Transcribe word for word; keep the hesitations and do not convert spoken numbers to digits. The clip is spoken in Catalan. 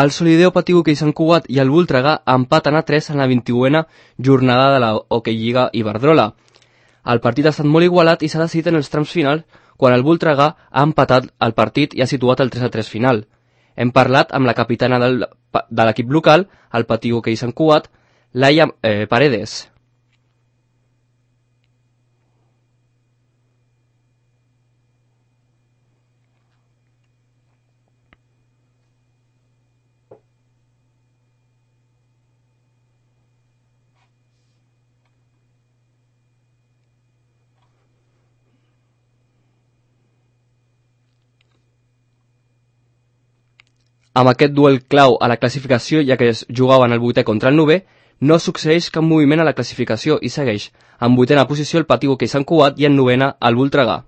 El Solideo Patí Hoquei Sant Cugat i el Voltregà empaten a tres en la vint-i-una jornada de la Hockey Lliga Iberdrola. El partit ha estat molt igualat i s'ha decidit en els trams finals quan el Voltregà ha empatat el partit i ha situat el tres a tres final. Hem parlat amb la capitana del, de l'equip local, el Patí Hoquei Sant Cugat, Laia eh, Paredes. Amb aquest duel clau a la classificació, ja que es jugaven el vuitè contra el novè, no succeeix cap moviment a la classificació i segueix en vuitena posició el Patí Hoquei Sant Cugat i en novena el Voltregà.